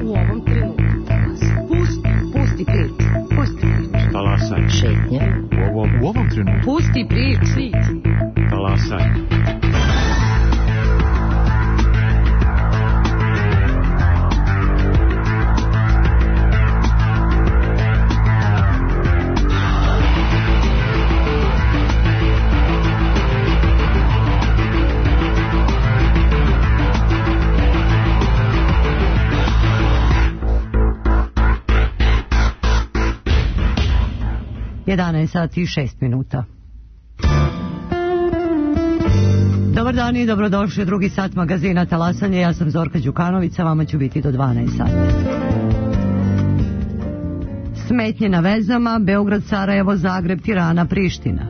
U ovom trenutku. Pusti priču. Talasaj. Šetnje. U ovom trenutku. Pusti priču. Talasaj. sati i 6 minuta. Dobar dan i dobrodošli u drugi sat magazina Talasanje. Ja sam Zorka Đukanović, a vama ću biti do 12 sati. Smetnje na vezama, Beograd, Sarajevo, Zagreb, Tirana, Priština.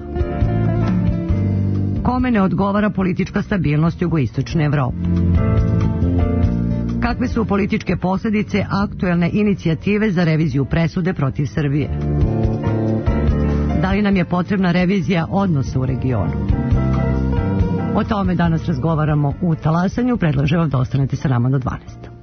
Kome ne odgovara politička stabilnost jugoistočne Evrope? Kakve su političke posljedice aktuelne inicijative za reviziju presude protiv Srbije? Da li nam je potrebna revizija odnosa u regionu? O tome danas razgovaramo u Talasanju. Predlažem vam da ostanete sa nama do 12.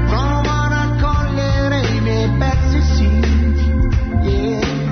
Prova a raccogliere i miei pezzi, sì, yeah.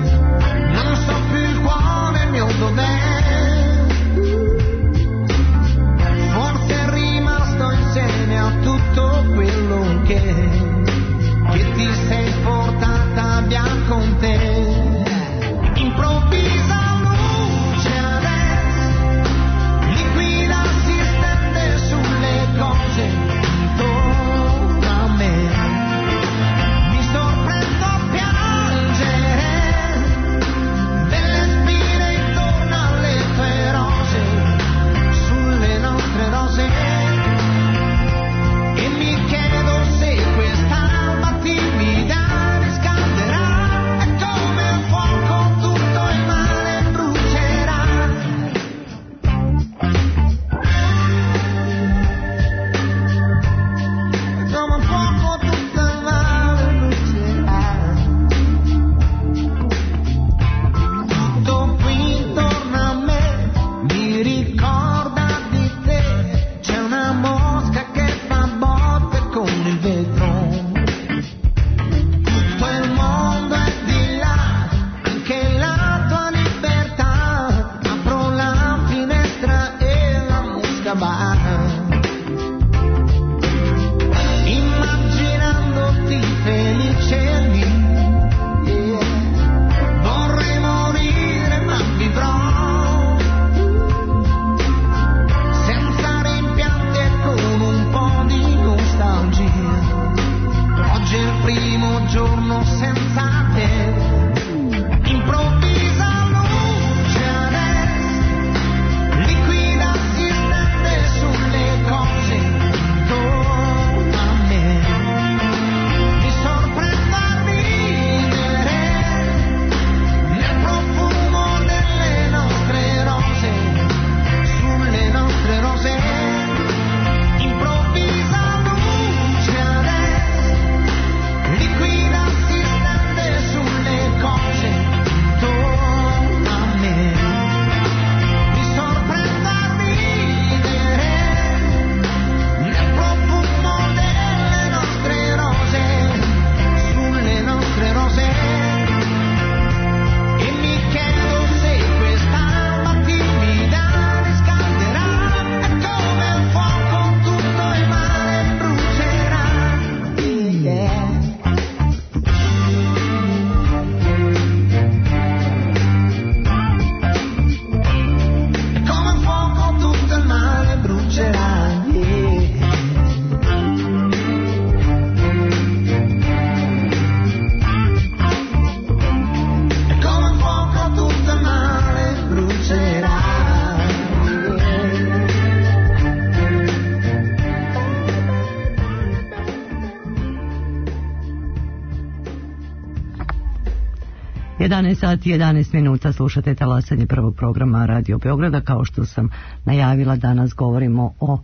11 sati i 11 minuta slušate talasanje prvog programa Radio Beograda. Kao što sam najavila, danas govorimo o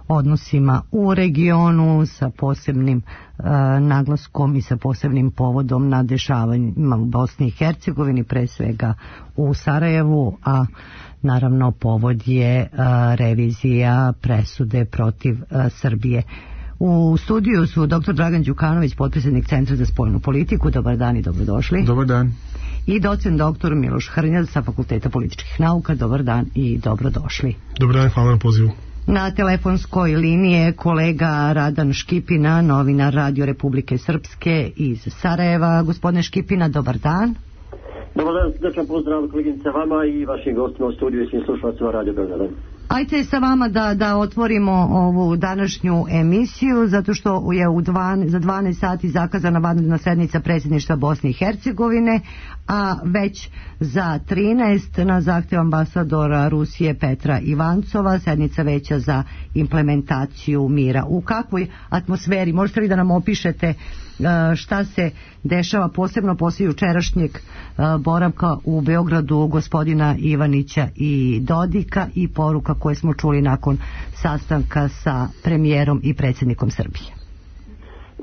odnosima u regionu sa posebnim naglaskom i sa posebnim povodom na dešavanjima u Bosni i Hercegovini, pre svega u Sarajevu, a naravno povod je revizija presude protiv Srbije. U studiju su dr. Dragan Đukanović, potpredsjednik Centra za spoljnu politiku. Dobar dan i dobrodošli. Dobar dan. I docent dr. Miloš Hrnjaz sa Fakulteta političkih nauka. Dobar dan i dobrodošli. Dobar dan, hvala na pozivu. Na telefonskoj liniji je kolega Radan Škipina, novinar Radio Republike Srpske iz Sarajeva. Gospodine Škipina, dobar dan. Dobar dan, srdačan pozdrav koleginice vama i vašim gostima u studiju i svim slušalcima Radio Beograda. Ajde sa vama da otvorimo ovu današnju emisiju, zato što je za 12 sati zakazana vanredna sednica predsjedništva Bosne i Hercegovine, a već za 13 na zahtjev ambasadora Rusije Petra Ivancova sednica veća za implementaciju mira. U kakvoj atmosferi, možete li da nam opišete šta se dešava posebno poslije jučerašnjeg boravka u Beogradu gospodina Ivanića i Dodika i poruka koje smo čuli nakon sastanka sa premijerom i predsjednikom Srbije?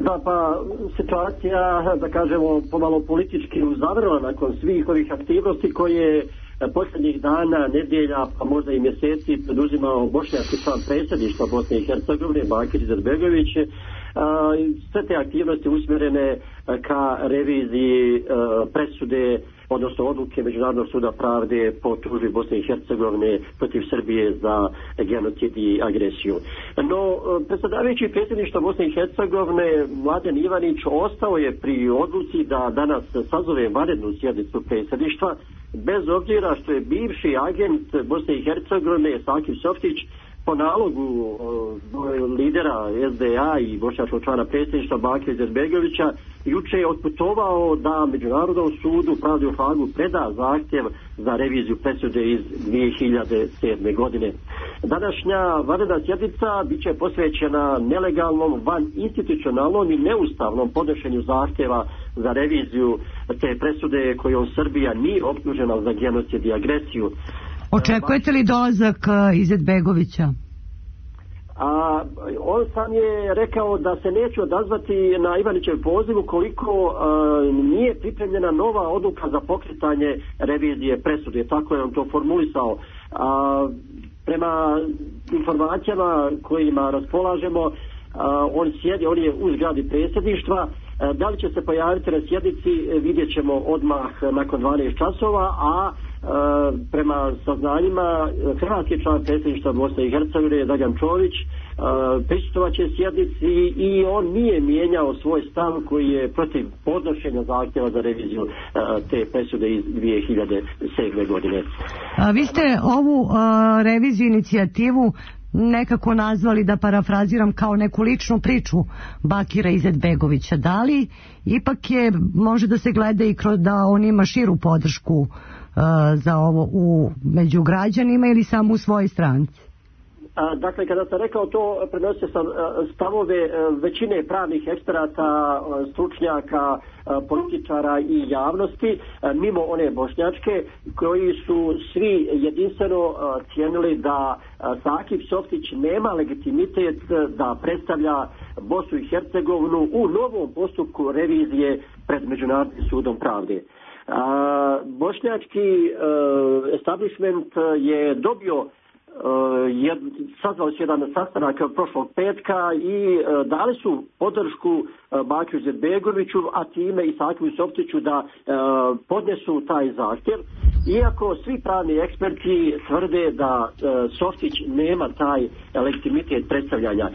Da, pa situacija, da kažemo, pomalo politički uzavrela nakon svih ovih aktivnosti koje posljednjih dana, nedjelja, pa možda i mjeseci preduzimao bošnjački član predsjedništva Bosne i Hercegovine, Bakir Izetbegović. Sve te aktivnosti usmjerene ka reviziji presude, odnosno odluke Međunarodnog suda pravde po tužbi Bosne i Hercegovine protiv Srbije za genocid i agresiju. No, predsjedavajući predsjedništva Bosne i Hercegovine Mladen Ivanić ostao je pri odluci da danas sazove vanrednu sjednicu predsjedništva, bez obzira što je bivši agent Bosne i Hercegovine Sakip Softić po nalogu lidera SDA i bošnjačkog člana predsjedništva Bakira Izetbegovića juče je otputovao da Međunarodnom sudu pravde u Hagu preda zahtjev za reviziju presude iz 2007. godine. Današnja vanredna sjednica bit će posvećena nelegalnom, vaninstitucionalnom i neustavnom podnošenju zahtjeva za reviziju te presude kojom Srbija nije optužena za genocid i agresiju. Očekujete li dolazak Izetbegovića? On sam je rekao da se neće odazvati na Ivanićev poziv ukoliko nije pripremljena nova odluka za pokretanje revizije presude. Tako je on to formulisao. Prema informacijama kojima raspolažemo, on je u zgradi predsjedništva. Da li će se pojaviti na sjednici vidjet ćemo odmah nakon 12 časova, a prema saznanjima hrvatski član predsjedništva Bosne i Hercegovine Dragan Čović prisustvovat će sjednici i on nije mijenjao svoj stav koji je protiv podnošenja zahtjeva za reviziju te presude iz 2007. godine. Vi ste ovu reviziju inicijativu nekako nazvali, da parafraziram, kao neku ličnu priču Bakira Izetbegovića. Da li ipak je, može da se gleda i kroz da on ima širu podršku za ovo među građanima ili samo u svojoj stranci? Dakle, kada sam rekao to, prenosio sam stavove većine pravnih eksperata, stručnjaka, političara i javnosti, mimo one bošnjačke, koji su svi jedinstveno cijenili da Sakip Softić nema legitimitet da predstavlja Bosnu i Hercegovinu u novom postupku revizije pred Međunarodnim sudom pravde. Bošnjački establishment je dobio sazvao se jedan sastanak prošlog petka i dali su podršku Bakiru Izetbegoviću, a time i Sakipu Softiću da podnesu taj zahtjev, iako svi pravni eksperti tvrde da Softić nema taj legitimitet predstavljanja.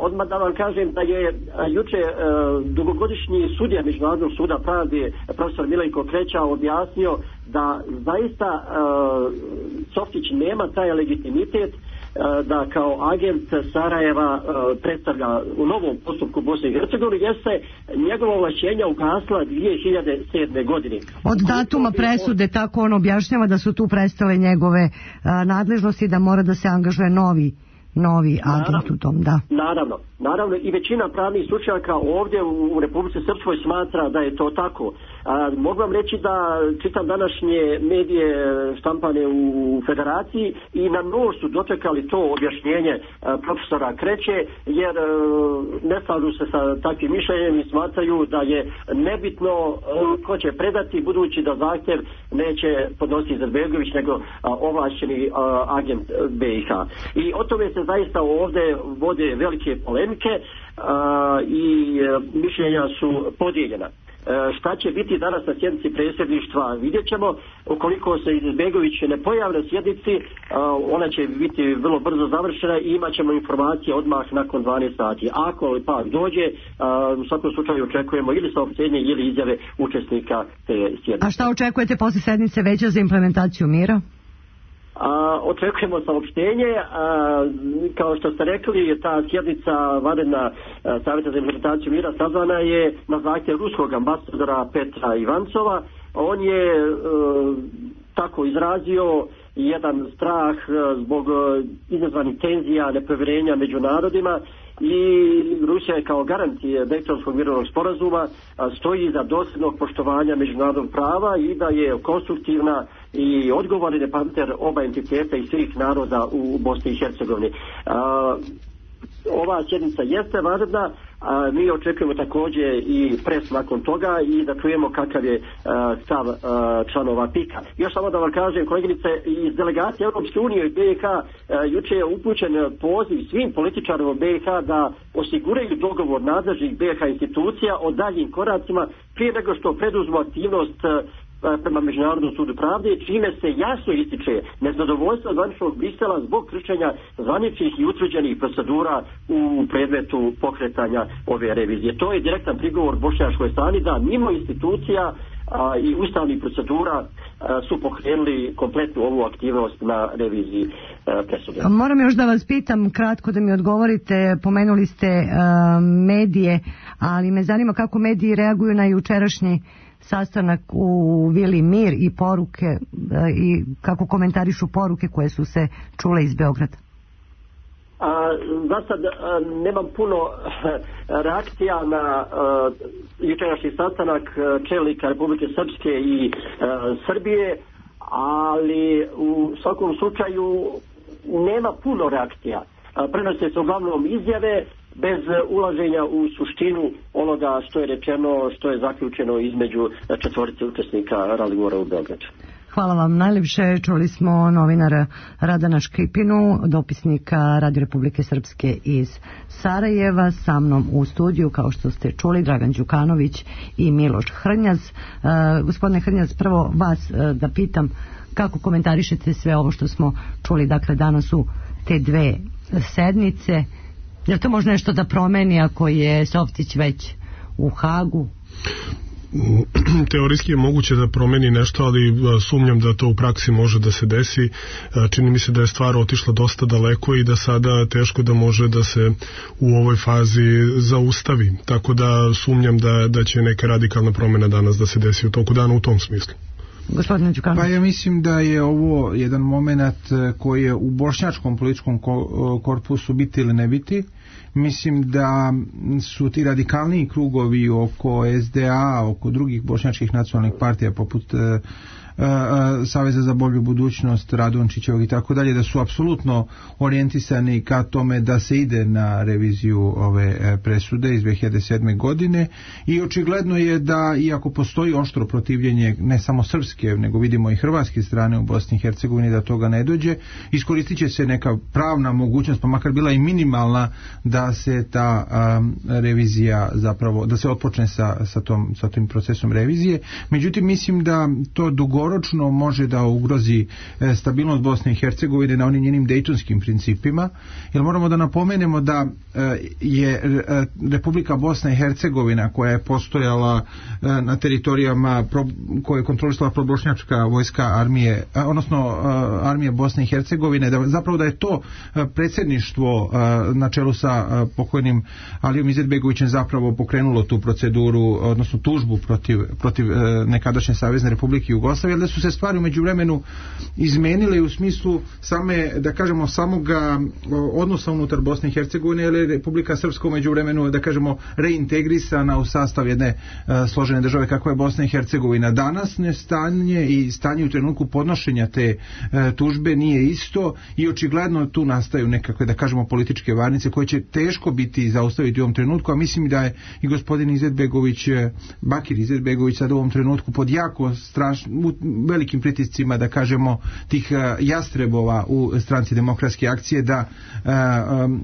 Odmah da vam kažem da je juče dugogodišnji sudija Međunarodnog suda pravde profesor Milenko Kreća objasnio da zaista Softić nema taj legitimitet da kao agent Sarajeva predstavlja u novom postupku Bosne i Hercegovine, jer se njegova ovlašćenja ugasla 2007. godine. Od datuma presude, tako on objašnjava da su tu prestale njegove nadležnosti, da mora da se angažuje novi agent u tom, da. Naravno, i većina pravnih stručnjaka ovdje u Republici Srpskoj smatra da je to tako. Mogu vam reći da čitam današnje medije štampane u Federaciji i na nož su dočekali to objašnjenje profesora Kreće, jer ne slažu se sa takvim mišljenjem i smatraju da je nebitno ko će predati, budući da zahtjev neće podnositi Izetbegović nego ovlašćeni agent BiH. I o tome se zaista ovdje vode velike polemike i mišljenja su podijeljena. Šta će biti danas na sjednici predsjedništva vidjet ćemo. Ukoliko se Izetbegović ne pojavi na sjednici, ona će biti vrlo brzo završena i imat ćemo informacije odmah nakon 12 sati. Ako li pak dođe, u svakom slučaju očekujemo ili saopštenje ili izjave učesnika te sjednice. A šta očekujete poslije sjednice Veća za implementaciju mira? Očekujemo saopštenje. Kao što ste rekli, ta sjednica vanredna Savjeta za implementaciju mira sazvana je na zahtjev ruskog ambasadora Petra Ivancova. On je tako izrazio jedan strah zbog izazvanih tenzija, nepovjerenja među narodima, i Rusija je kao garant Dejtonskog mirovnog sporazuma stoji za dosljednog poštovanja međunarodnog prava i da je konstruktivna i odgovorni partner oba entiteta i svih naroda u Bosni i Hercegovini. Ova sjednica jeste važna, mi očekujemo također i pres nakon toga i da čujemo kakav je stav članova PIK-a. Još samo da vam kažem, koleginice, iz delegacije Europske unije i BiH juče je upućen poziv svim političarima BiH da osiguraju dogovor nadležnih BiH institucija o daljim koracima prije nego što preduzmu aktivnost prema Međunarodnom sudu pravde, čime se jasno ističe nezadovoljstvo zvaničnog Brisela zbog kršenja zvaničnih i utvrđenih procedura u predmetu pokretanja ove revizije. To je direktan prigovor bošnjačkoj strani da mimo institucija i ustavnih procedura su pokrenuli kompletnu ovu aktivnost na reviziji presude. Moram još da vas pitam kratko da mi odgovorite, pomenuli ste medije, ali me zanima kako mediji reaguju na jučerašnji sastanak u Vili Mir i poruke i kako komentarišu poruke koje su se čule iz Beograda. Za sad nemam puno reakcija na jučerašnji sastanak čelnika Republike Srpske i Srbije, ali u svakom slučaju nema puno reakcija. Prenose se uglavnom izjave bez ulaženja u suštinu onoga što je rečeno, što je zaključeno između četvorice učesnika razgovora u Beogradu. Hvala vam najljepše. Čuli smo novinara Radana Škripinu, dopisnika Radio Republike Srpske iz Sarajeva. Sa mnom u studiju, kao što ste čuli, Dragan Đukanović i Miloš Hrnjaz. Gospodine Hrnjaz, prvo vas da pitam kako komentarišete sve ovo što smo čuli, dakle danas u te dve sednice. Je li to možda nešto da promeni ako je Softić već u Hagu? Teorijski je moguće da promeni nešto, ali sumnjam da to u praksi može da se desi. Čini mi se da je stvar otišla dosta daleko i da sada teško da može da se u ovoj fazi zaustavi. Tako da sumnjam da će neka radikalna promjena danas da se desi u toku dana u tom smislu. Pa ja mislim da je ovo jedan moment koji je u bošnjačkom političkom korpusu biti ili ne biti. Mislim da su ti radikalniji krugovi oko SDA, oko drugih bošnjačkih nacionalnih partija poput Saveza za bolju budućnost, Radončićevog i tako dalje, da su apsolutno orijentisani ka tome da se ide na reviziju ove presude iz 2007. godine i očigledno je da, iako postoji oštro protivljenje ne samo srpske, nego vidimo i hrvatske strane u Bosni i Hercegovini da toga ne dođe, iskoristit će se neka pravna mogućnost, pa makar bila i minimalna, da se ta revizija zapravo, da se otpočne sa tim procesom revizije. Međutim, mislim da to dugoročno može da ugrozi stabilnost Bosne i Hercegovine na onim njenim dejtonskim principima, jer moramo da napomenemo da je Republika Bosna i Hercegovina, koja je postojala na teritorijama koje je kontrolisala probošnjačka vojska armije, odnosno armije Bosne i Hercegovine, da je to predsjedništvo na čelu sa pokojnim Alijom Izetbegovićem zapravo pokrenulo tu proceduru, odnosno tužbu protiv nekadašnje Savezne Republike Jugoslavije. jer da su se stvari u međuvremenu izmenile u smislu same, da kažemo, samoga odnosa unutar Bosne i Hercegovine, jer je Republika Srpska u međuvremenu, da kažemo, reintegrisana u sastav jedne složene države kakva je Bosna i Hercegovina. Danas stanje i stanje u trenutku podnošenja te tužbe nije isto i očigledno tu nastaju nekakve, da kažemo, političke varnice koje će teško biti zaustaviti u ovom trenutku, a mislim da je i gospodin Izetbegović, Bakir Izetbegović sad u ovom trenutku pod jako velikim pritiscima, da kažemo, tih jastrebova u stranci Demokratske akcije da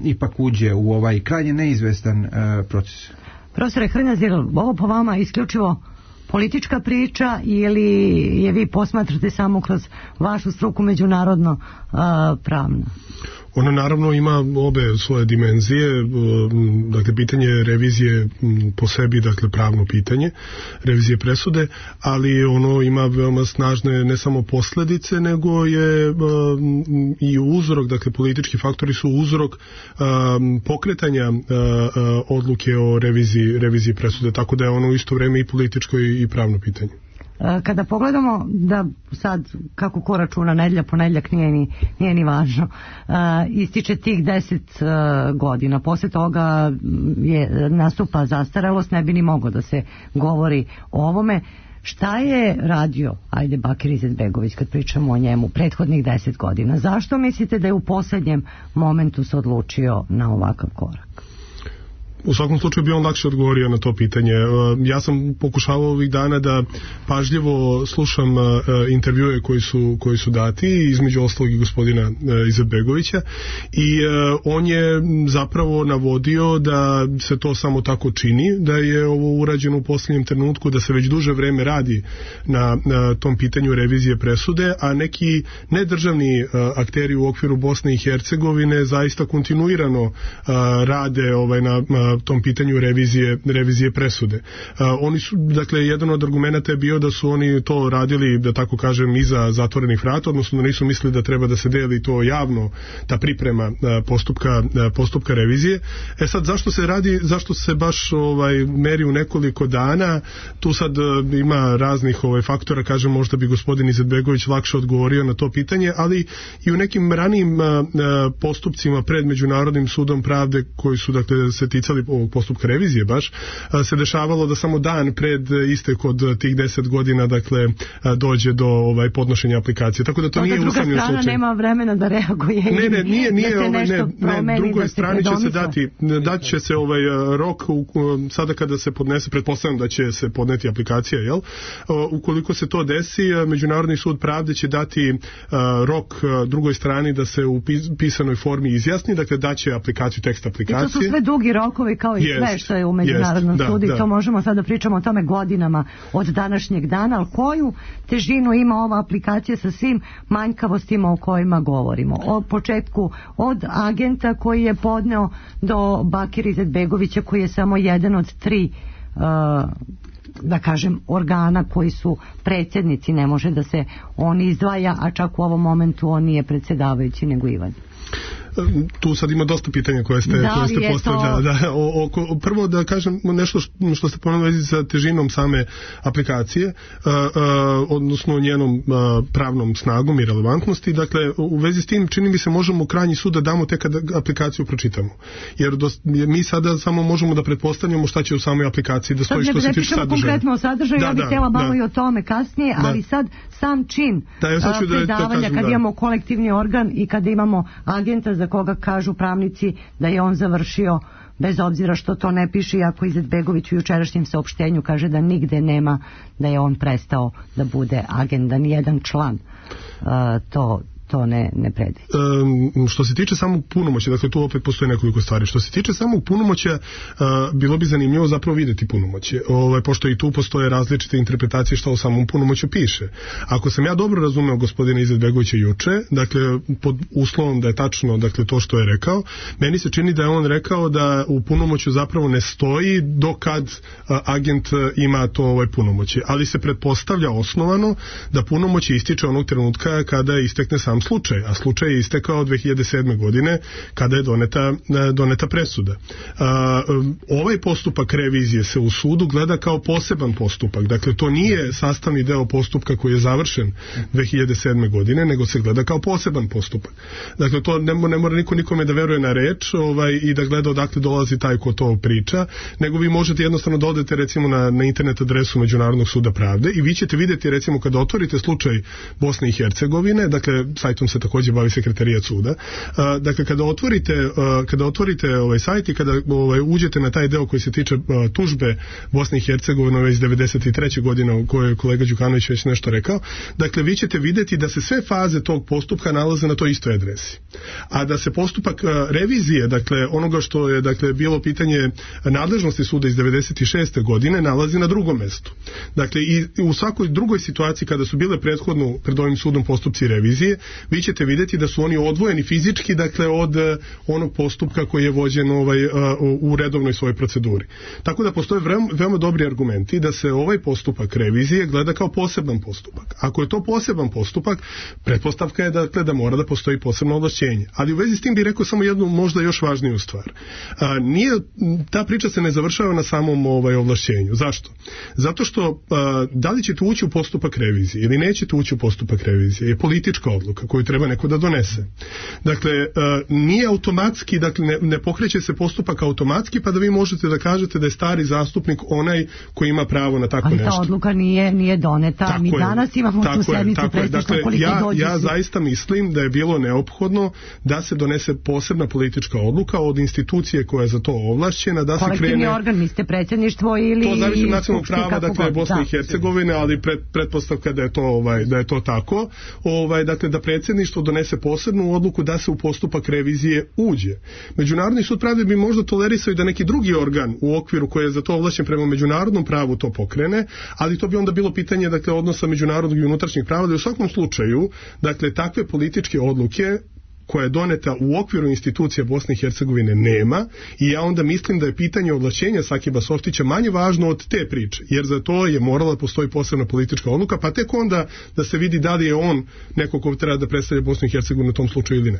ipak uđe u ovaj krajnje neizvestan proces. Profesore Hrnjaz, je ovo po vama isključivo politička priča ili je vi posmatrate samo kroz vašu struku međunarodno pravno? Ona naravno ima obe svoje dimenzije, dakle pitanje revizije po sebi, dakle pravno pitanje, revizije presude, ali ono ima veoma snažne ne samo posljedice, nego je i uzrok, dakle politički faktori su uzrok pokretanja odluke o reviziji presude, tako da je ono u isto vrijeme i političko i pravno pitanje. Kada pogledamo da sad kako ko računa nedjelja, ponedjeljak nije ni važno, ističe tih 10 godina, poslije toga nastupa zastarelost, ne bi ni moglo da se govori o ovome. Šta je radio, ajde, Bakir Izetbegović, kad pričamo o njemu, prethodnih 10 godina? Zašto mislite da je u posljednjem momentu se odlučio na ovakav korak? U svakom slučaju bi on lakše odgovorio na to pitanje. Ja sam pokušavao ovih dana da pažljivo slušam intervjue koji su dati, između ostalog i gospodina Izetbegovića, i on je zapravo navodio da se to samo tako čini, da je ovo urađeno u posljednjem trenutku, da se već duže vreme radi na tom pitanju revizije presude, a neki nedržavni akteri u okviru Bosne i Hercegovine zaista kontinuirano rade na tom pitanju revizije presude. Oni su, dakle, jedan od argumenata je bio da su oni to radili, da tako kažem, iza zatvorenih vrata, odnosno da nisu mislili da treba da se deli to javno, ta priprema postupka revizije. Sad, zašto se baš meri u nekoliko dana? Tu sad ima raznih faktora, kažem, možda bi gospodin Izetbegović lakše odgovorio na to pitanje, ali i u nekim ranijim postupcima pred Međunarodnim sudom pravde koji su, dakle, se ticali ovog postupka revizije baš, se dešavalo da samo dan pred istek od tih 10 godina, dakle, dođe do podnošenja aplikacije. Tako da to nije usamljen slučaj. Druga strana nema vremena da reaguje. Ne, drugoj strani će se dati će se rok sada kada se podnese, pretpostavljam da će se podneti aplikacija, jel? Ukoliko se to desi, Međunarodni sud pravde će dati rok drugoj strani da se u pisanoj formi izjasni, dakle daće aplikaciju, tekst aplikacije. I to su sve dugi rokovi kao i sve što je u Međunarodnom sudu i to možemo sada pričamo o tome godinama od današnjeg dana, ali koju težinu ima ova aplikacija sa svim manjkavostima o kojima govorimo. O početku od agenta koji je podneo do Bakira Izetbegovića koji je samo jedan od 3 da kažem organa koji su predsjednici, ne može da se on izdvaja, a čak u ovom momentu on nije predsjedavajući nego Ivan. Tu sad ima dosta pitanja koje ste postavili. Prvo da kažem nešto što ste pomenuli sa težinom same aplikacije, odnosno njenom pravnom snagom i relevantnosti. Dakle, u vezi s tim čini mi se možemo krajnji sud da damo tek kad aplikaciju pročitamo. Jer mi sada samo možemo da pretpostavljamo šta će u samoj aplikaciji da stoji što se tiče sadržaja. Konkretno o sadržaju, ja bih htjela malo i o tome kasnije, ali sad sam čin predavanja, kad imamo kolektivni organ i kad imamo agenta za koga kažu pravnici da je on završio, bez obzira što to ne piše, iako Izetbegović u jučerašnjem saopštenju kaže da nigde nema da je on prestao da bude agent, da nijedan član to ne predviđa. Što se tiče samog punomoćja, dakle tu opet postoje nekoliko stvari. Što se tiče samog punomoćja, bilo bi zanimljivo zapravo vidjeti punomoćje. Pošto i tu postoje različite interpretacije što u samom punomoćju piše. Ako sam ja dobro razumeo gospodina Izetbegovića juče, dakle pod uslovom da je tačno, dakle, to što je rekao, meni se čini da je on rekao da u punomoćju zapravo ne stoji dokad agent ima to punomoćje. Ali se pretpostavlja osnovano da punomoćje ističe onog trenutka kada istekne sam sam slučaj, a slučaj je istekao 2007. godine kada je doneta presuda. Ovaj postupak revizije se u sudu gleda kao poseban postupak, dakle to nije sastavni deo postupka koji je završen 2007. godine, nego se gleda kao poseban postupak. Dakle to ne mora niko nikome da veruje na reč i da gleda odakle dolazi taj ko to priča, nego vi možete jednostavno da odete recimo na internet adresu Međunarodnog suda pravde i vi ćete vidjeti recimo kada otvorite slučaj Bosne i Hercegovine, dakle sajtom se također bavi sekretarijat suda, dakle kada otvorite ovaj sajt i kada uđete na taj deo koji se tiče tužbe Bosne i Hercegovine iz 93. godine u kojoj je kolega Đukanović već nešto rekao, dakle vi ćete vidjeti da se sve faze tog postupka nalaze na toj istoj adresi. A da se postupak revizije, dakle onoga što je dakle bilo pitanje nadležnosti suda iz 96. godine nalazi na drugom mestu. Dakle i u svakoj drugoj situaciji kada su bile prethodno pred ovim sudom postupci revizije, vi ćete vidjeti da su oni odvojeni fizički dakle od onog postupka koji je vođen u redovnoj svojoj proceduri. Tako da postoje veoma dobri argumenti da se ovaj postupak revizije gleda kao poseban postupak. Ako je to poseban postupak, pretpostavka je dakle da mora da postoji posebno ovlašćenje. Ali u vezi s tim bih rekao samo jednu možda još važniju stvar. Ta priča se ne završava na samom ovlašćenju. Zašto? Zato što da li ćete ući u postupak revizije ili nećete ući u postupak revizije je politička odluka koju treba neko da donese. Dakle, nije automatski, dakle ne pokreće se postupak automatski pa da vi možete da kažete da je stari zastupnik onaj koji ima pravo na tako nešto. Ali ta odluka nije doneta. Tako mi danas imamo tu sednicu predsjedništva koliko dođe. Ja zaista mislim da je bilo neophodno da se donese posebna politička odluka od institucije koja je za to ovlašćena, da se krene... Kolektivni organ, mislite predsjedništvo ili... To zavisi od nacionalnog prava, dakle Bosne i Hercegovine, ali pretpostavka da je to tako, dakle da predsjedništvo donese posebnu odluku da se u postupak revizije uđe. Međunarodni sud pravde bi možda tolerisao i da neki drugi organ u okviru koji je za to ovlašćen prema međunarodnom pravu to pokrene, ali to bi onda bilo pitanje dakle odnosa međunarodnog i unutrašnjeg prava, da u svakom slučaju, dakle takve političke odluke koja je doneta u okviru institucija Bosne i Hercegovine nema i ja onda mislim da je pitanje ovlašćenja Sakiba Softića manje važno od te priče, jer za to je morala da postoji posebna politička odluka, pa tek onda da se vidi da li je on neko ko treba da predstavlja Bosnu i Hercegovinu u tom slučaju ili ne.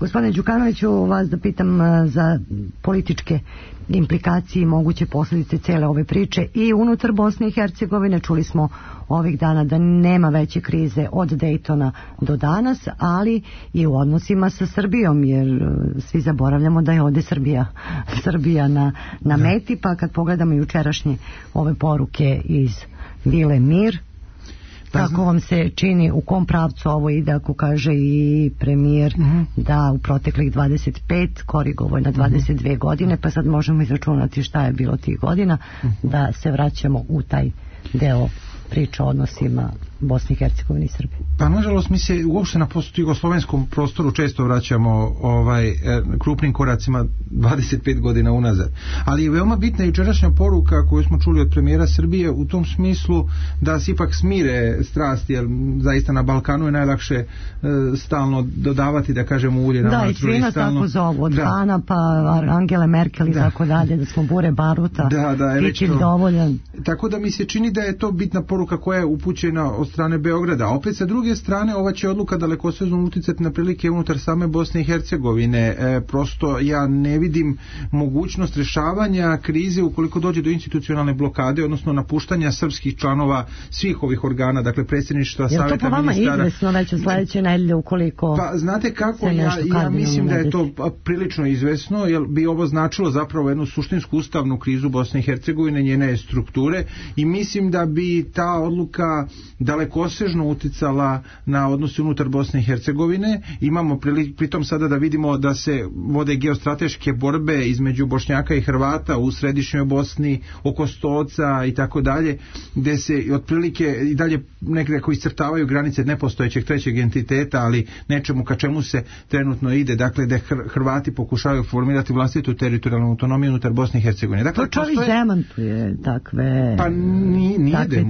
Gospodine Đukanoviću, vas da pitam za političke implikacije i moguće posljedice cele ove priče i unutar Bosne i Hercegovine. Čuli smo ovih dana da nema veće krize od Dejtona do danas, ali i u odnosima sa Srbijom, jer svi zaboravljamo da je ovdje Srbija na meti, pa kad pogledamo jučerašnje ove poruke iz Vile Mir, kako vam se čini, u kom pravcu ovo ide, ako kaže i premijer da u proteklih 25 korigovo na 22 godine, pa sad možemo izračunati šta je bilo tih godina, da se vraćamo u taj deo priča o odnosima Bosne i Hercegovine i Srbije. Pa nažalost mi se uopšte na jugoslovenskom prostoru često vraćamo krupnim koracima 25 godina unazad. Ali je veoma bitna jučerašnja poruka koju smo čuli od premijera Srbije u tom smislu da se ipak smire strasti, jer zaista na Balkanu je najlakše stalno dodavati, da kažemo, ulje na vatru. Da, i svi nas tako zovu, od Hana pa Angele Merkel i tako dalje, da smo bure baruta, pićiv dovoljan. Tako da mi se čini da je to bitna poruka koja je upućena od strane Beograda. Opet sa druge strane ova će odluka dalekosežno uticati na prilike unutar same Bosne i Hercegovine. Prosto ja ne vidim mogućnost rješavanja krize ukoliko dođe do institucionalne blokade, odnosno napuštanja srpskih članova svih ovih organa, dakle predsjedništva, savjeta ministara. Je to po vama izvesno već u sledeće nedelje ukoliko... Pa znate kako, ja mislim da je to prilično izvesno, jer bi ovo značilo zapravo jednu suštinsku ustavnu krizu Bosne i Hercegovine, njene strukture, i mislim da bi ta odluka dalekosežno uticala na odnose unutar Bosne i Hercegovine. Imamo pritom sada da vidimo da se vode geostrateške borbe između Bošnjaka i Hrvata u središnjoj Bosni, oko Stoca i tako dalje, gde se otprilike i dalje nekako iscrtavaju granice nepostojećeg trećeg entiteta, ali nečemu ka čemu se trenutno ide, dakle da Hrvati pokušavaju formirati vlastitu teritorijalnu autonomiju unutar Bosne i Hercegovine. Dakle, to čovjek demantuje takve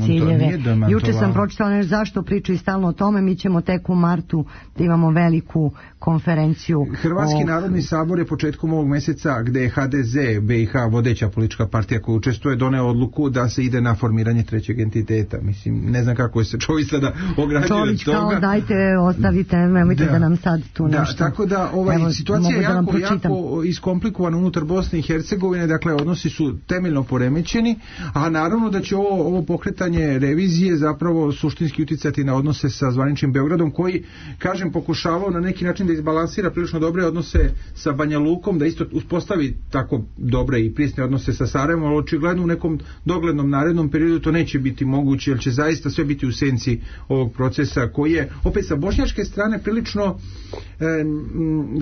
ciljeve. Juče sam pročitala uopšte zašto pričaju stalno o tome. Mi ćemo tek u martu da imamo veliku konferenciju. Hrvatski narodni sabor je početkom ovog meseca, gde je HDZ BiH vodeća politička partija koja učestvuje, doneo odluku da se ide na formiranje trećeg entiteta. Mislim, ne znam kako se Čović sada ograđuje od toga. Kao dajte, ostavite, nemojte da nam sad tu nešto. Tako da situacija je jako iskomplikovana unutar Bosne i Hercegovine, dakle odnosi su temeljno poremećeni, a naravno da će ovo pokretanje revizije zapravo suštinski uticati na odnose sa zvaničnim Beogradom, koji, kažem, pokušavao na neki način da izbalansira prilično dobre odnose sa Banja Lukom, da isto uspostavi tako dobre i prisne odnose sa Sarajevom, ali očigledno u nekom doglednom narednom periodu to neće biti moguće, jer će zaista sve biti u senci ovog procesa koji je opet sa bošnjačke strane prilično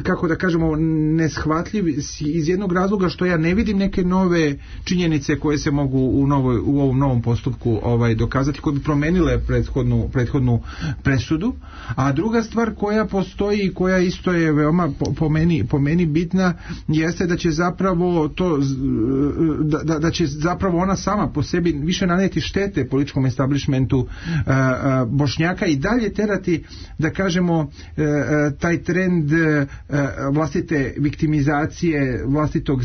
kako da kažemo neshvatljiv iz jednog razloga što ja ne vidim neke nove činjenice koje se mogu u ovom novom postupku dokazati, koje bi promenile prethodnu presudu. A druga stvar koja postoji i koja isto je veoma po meni bitna jeste da će zapravo da će zapravo ona sama po sebi više naneti štete političkom establishmentu Bošnjaka i dalje terati, da kažemo, taj trend vlastite viktimizacije, vlastitog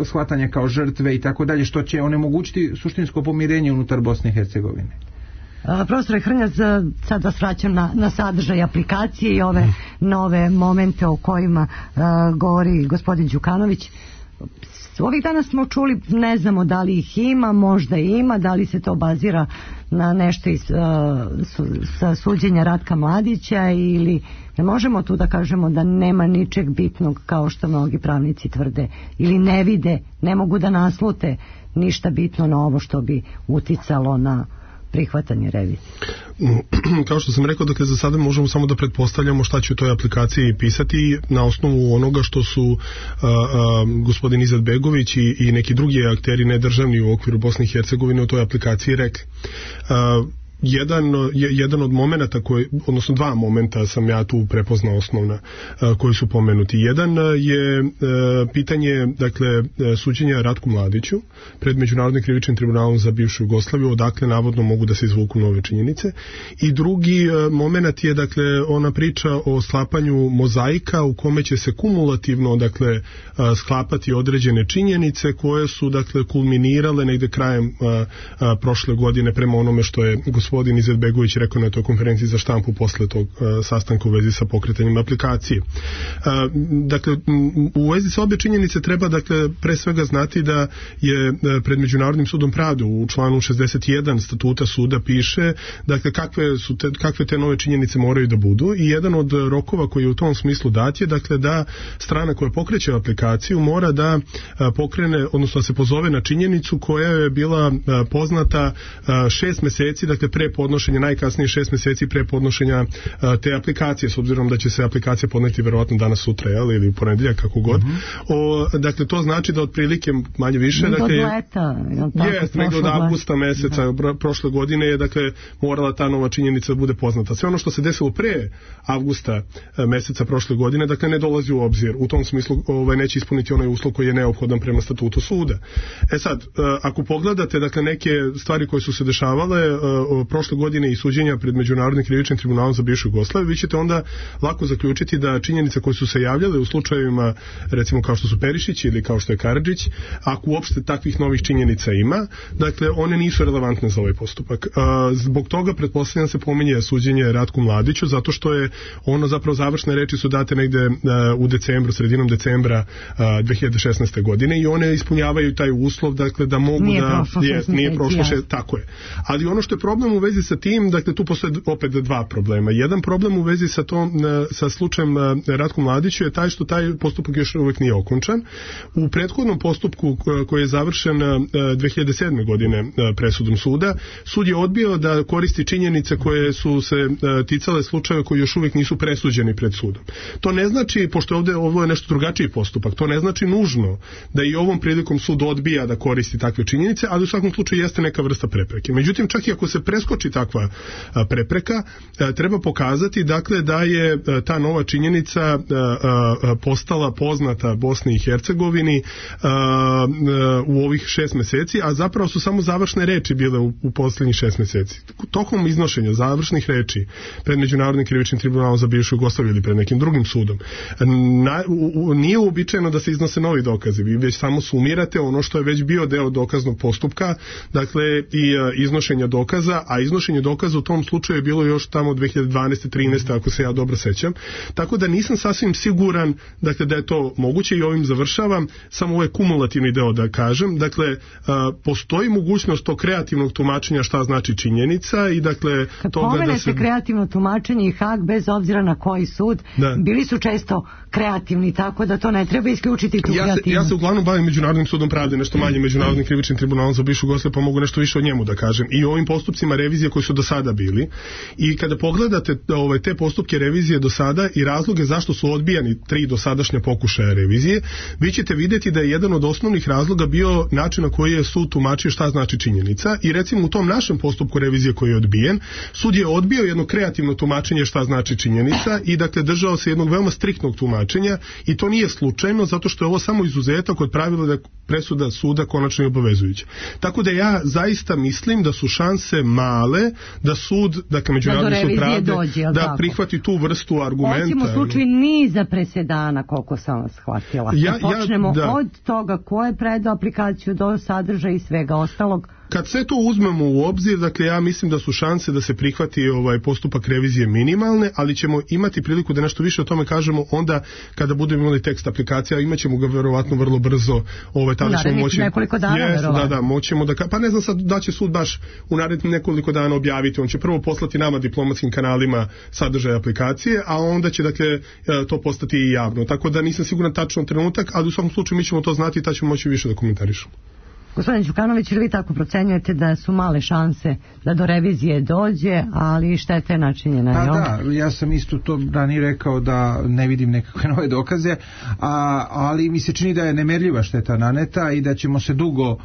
shvatanja kao žrtve i tako dalje, što će onemogućiti suštinsko pomirenje unutar Bosne i Hercegovine. Profesore Hrnjac, sad vas vraćam na sadržaj aplikacije i ove nove momente o kojima govori gospodin Đukanović. Ovih dana smo čuli, ne znamo da li ih ima, možda ima, da li se to bazira na nešto sa suđenja Ratka Mladića, ili ne možemo tu da kažemo da nema ničeg bitnog kao što mnogi pravnici tvrde, ili ne vide, ne mogu da naslute ništa bitno na ovo što bi uticalo na prihvatanje revizije. Kao što sam rekao, dakle za sada možemo samo da pretpostavljamo šta će u toj aplikaciji pisati na osnovu onoga što su gospodin Izetbegović i neki drugi akteri nedržavni u okviru Bosne i Hercegovine u toj aplikaciji rekli. Jedan od momenata odnosno dva momenta sam ja tu prepoznao osnovna koji su pomenuti. Jedan je pitanje, dakle, suđenja Ratku Mladiću pred Međunarodnim krivičnim tribunalom za bivšu Jugoslaviju, odakle navodno mogu da se izvuku nove činjenice. I drugi moment je, dakle, ona priča o sklapanju mozaika u kome će se kumulativno, dakle, sklapati određene činjenice koje su, dakle, kulminirale negde krajem prošle godine prema onome što je gospodin Izetbegović rekao na toj konferenciji za štampu posle tog sastanka u vezi sa pokretanjem aplikacije. Dakle, u vezi sa obje činjenice treba, dakle, pre svega znati da je pred Međunarodnim sudom pravde u članu 61 statuta suda piše, dakle, kakve te nove činjenice moraju da budu, i jedan od rokova koji je u tom smislu dat je, dakle, da strana koja pokreće aplikaciju mora da pokrene, odnosno da se pozove na činjenicu koja je bila poznata 6 meseci, dakle, pre podnošenja, najkasnije 6 meseci pre podnošenja te aplikacije, s obzirom da će se aplikacija podneti verovatno danas, sutra, ili u ponedeljak, kako god. Dakle, to znači da otprilike manje više, dakle, negde od avgusta meseca prošle godine je, dakle, morala ta nova činjenica da bude poznata. Sve ono što se desilo pre avgusta meseca prošle godine, dakle, ne dolazi u obzir. U tom smislu neće ispuniti onaj uslov koji je neophodan prema statutu suda. Sad, ako pogledate, dakle, neke stvari koje su se dešavale prošle godine i suđenja pred Međunarodnim krivičnim tribunalom za bivšu Jugoslaviju, vi ćete onda lako zaključiti da činjenice koje su se javljale u slučajevima, recimo kao što su Perišić ili kao što je Karadžić, ako uopšte takvih novih činjenica ima, dakle, one nisu relevantne za ovaj postupak. Zbog toga pretpostavljam se pominje suđenje Ratku Mladiću, zato što je ono, zapravo, završne reči su date negde u decembru, sredinom decembra 2016. godine, i one ispunjavaju taj uslov, dakle, da mogu nije prošlo tako je. Ali ono što je problem u vezi sa tim, dakle, tu postoje opet dva problema. Jedan problem u vezi sa slučajem Ratku Mladiću je taj što taj postupak još uvijek nije okončan. U prethodnom postupku koji je završen 2007. godine presudom suda, sud je odbio da koristi činjenice koje su se ticale slučajeva koji još uvijek nisu presuđeni pred sudom. To ne znači, pošto ovo je nešto drugačiji postupak, to ne znači nužno da i ovom prilikom sud odbija da koristi takve činjenice, ali u svakom slučaju jeste neka vrsta prepreke. Međutim, čak i ako se preskoči takva prepreka, treba pokazati dakle da je ta nova činjenica postala poznata Bosni i Hercegovini u ovih 6 meseci, a zapravo su samo završne reči bile u posljednjih 6 meseci. Tokom iznošenja završnih reči pred Međunarodnim krivičnim tribunalom za bivšu Jugoslaviju ili pred nekim drugim sudom, nije uobičajeno da se iznose novi dokazi. Vi već samo sumirate ono što je već bio deo dokaznog postupka, dakle i iznošenja dokaza, a iznošenje dokaza u tom slučaju je bilo još tamo 2012. 13. ako se ja dobro sećam. Tako da nisam sasvim siguran dakle da je to moguće i ovim završavam, samo ovaj kumulativni deo da kažem. Dakle, postoji mogućnost tog kreativnog tumačenja šta znači činjenica i dakle kad toga da se... kreativno tumačenje i Hag bez obzira na koji sud, bili su često kreativni, tako da to ne treba isključiti tu kreativnost. Ja se uglavnom bavim Međunarodnim sudom pravde, nešto manje Međunarodnim krivičnim tribunalom za bivšu Jugoslaviju, pa mogu nešto više o njemu da kažem. I ovim postupcima revizije koji su do sada bili. I kada pogledate te postupke revizije do sada i razloge zašto su odbijani 3 dosadašnja pokušaja revizije, vi ćete vidjeti da je jedan od osnovnih razloga bio način na koji je sud tumačio šta znači činjenica i recimo u tom našem postupku revizije koji je odbijen, sud je odbio jedno kreativno tumačenje šta znači činjenica i dakle držao se jednog veoma striktnog tumačenja i to nije slučajno zato što je ovo samo izuzetak od pravila da je presuda suda konačno i obavezujuća. Tako da ja zaista mislim da su šanse male da sud, dakle Međunarodni sud pravde da prihvati tu vrstu argumenta. Osim u slučaju niza presedana, koliko sam vas shvatila. Počnemo od toga ko je predao aplikaciju do sadržaja i svega ostalog. Kad sve to uzmemo u obzir, dakle ja mislim da su šanse da se prihvati postupak revizije minimalne, ali ćemo imati priliku da nešto više o tome kažemo onda kada budemo imali tekst aplikacija, imat ćemo ga verovatno vrlo brzo, tada ćemo moći... nekoliko dana verovatno. Da, moćemo da... Pa ne znam sad da će sud baš u narednih nekoliko dana objaviti, on će prvo poslati nama diplomatskim kanalima sadržaj aplikacije, a onda će dakle to postati i javno. Tako da nisam siguran tačno trenutak, ali u svakom slučaju mi ćemo to znati i tad ćemo moći više da komentarišemo. Gospodin Đukanović, ili vi tako procenjujete da su male šanse da do revizije dođe, ali šteta je načinjena? Pa da, ja sam isto to ranije rekao da ne vidim nekakve nove dokaze, ali mi se čini da je nemerljiva šteta naneta i da ćemo se dugo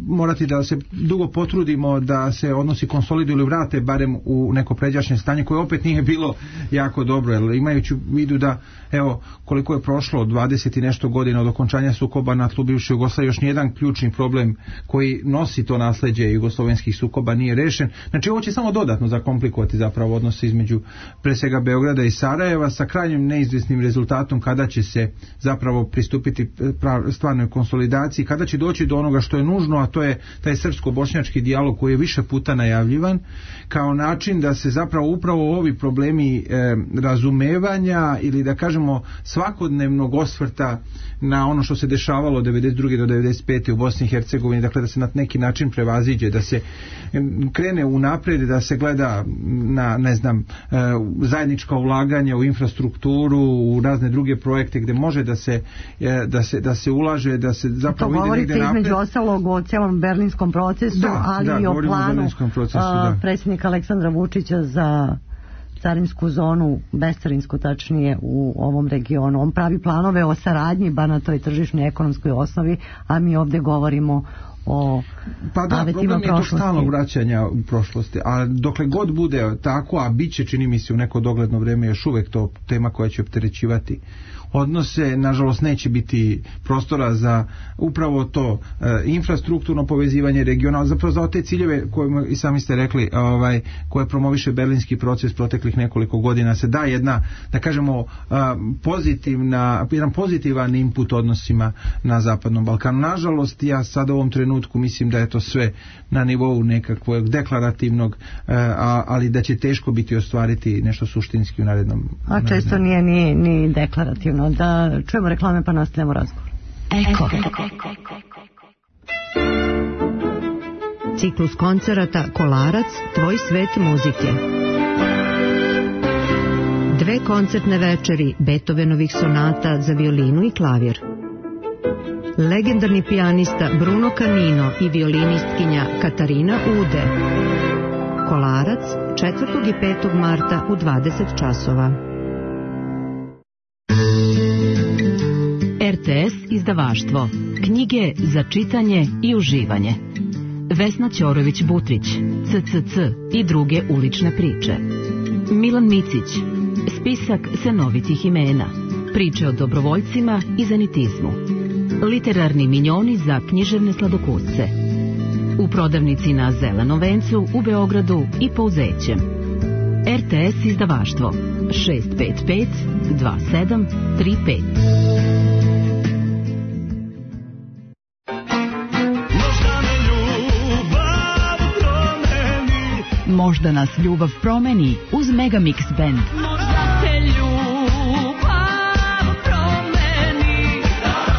morati da se dugo potrudimo da se odnosi konsoliduju ili vrate barem u neko pređašnje stanje koje opet nije bilo jako dobro, jer imajući u vidu da evo koliko je prošlo 20 i nešto godina od okončanja sukoba na tlu bivše Jugoslavije, još nijedan ključni problem koji nosi to nasleđe jugoslovenskih sukoba nije rešen. Znači ovo će samo dodatno zakomplikovati zapravo odnose između pre svega Beograda i Sarajeva sa krajnjim neizvjesnim rezultatom kada će se zapravo pristupiti stvarnoj konsolidaciji, kada će doći do onoga što je nužno, a to je taj srpsko-bošnjački dijalog koji je više puta najavljivan kao način da se zapravo upravo ovi problemi razumevanja ili da kažemo svakodnevnog osvrta na ono što se dešavalo od 92. do 95. u Bosni i Hercegovini, dakle da se na neki način prevaziđe, da se krene unapred, da se gleda na zajednička ulaganja u infrastrukturu, u razne druge projekte gde može da se ulaže, da se zapravo ide negde napred. Između ostalog o celom berlinskom procesu, ali i o planu predsjednika Aleksandra Vučića za carinsku zonu, bescarinsku tačnije u ovom regionu. On pravi planove o saradnji bar na toj tržišnoj ekonomskoj osnovi, a mi ovdje govorimo o problem je to stalnog vraćanja u prošlosti, a dokle god bude tako, a bit će čini mi se u neko dogledno vrijeme još uvek to tema koja će opterećivati odnose, nažalost neće biti prostora za upravo to infrastrukturno povezivanje regionalno, zapravo za te ciljeve koje i sami ste rekli, koje promoviše berlinski proces proteklih nekoliko godina, se da jedna, da kažemo, jedan pozitivan input odnosima na Zapadnom Balkanu. Nažalost, ja sad u ovom trenutku mislim da je to sve na nivou nekakvog deklarativnog, ali da će teško biti ostvariti nešto suštinski u narednom. A često nije ni deklarativno. Da čujemo reklame pa nastavljamo razgovor. Eko. Ciklus koncerata Kolarac, tvoj svet muzike. 2 koncertne večeri Beethovenovih sonata za violinu i klavir. Legendarni pijanista Bruno Canino i violinistkinja Katarina Ude. Kolarac 4. i 5. marta u 20 časova. RTS izdavaštvo. Knjige za čitanje i uživanje. Vesna Ćorović-Butrić, CCC i druge ulične priče. Milan Micić, spisak senovitih imena, priče o dobrovoljcima i zanitizmu. Literarni minjoni za književne sladokusce. U prodavnici na Zelenom vencu u Beogradu i Pouzećem. RTS izdavaštvo 655 2735. Možda nas ljubav promeni uz Megamix Band. Možda te ljubav promeni,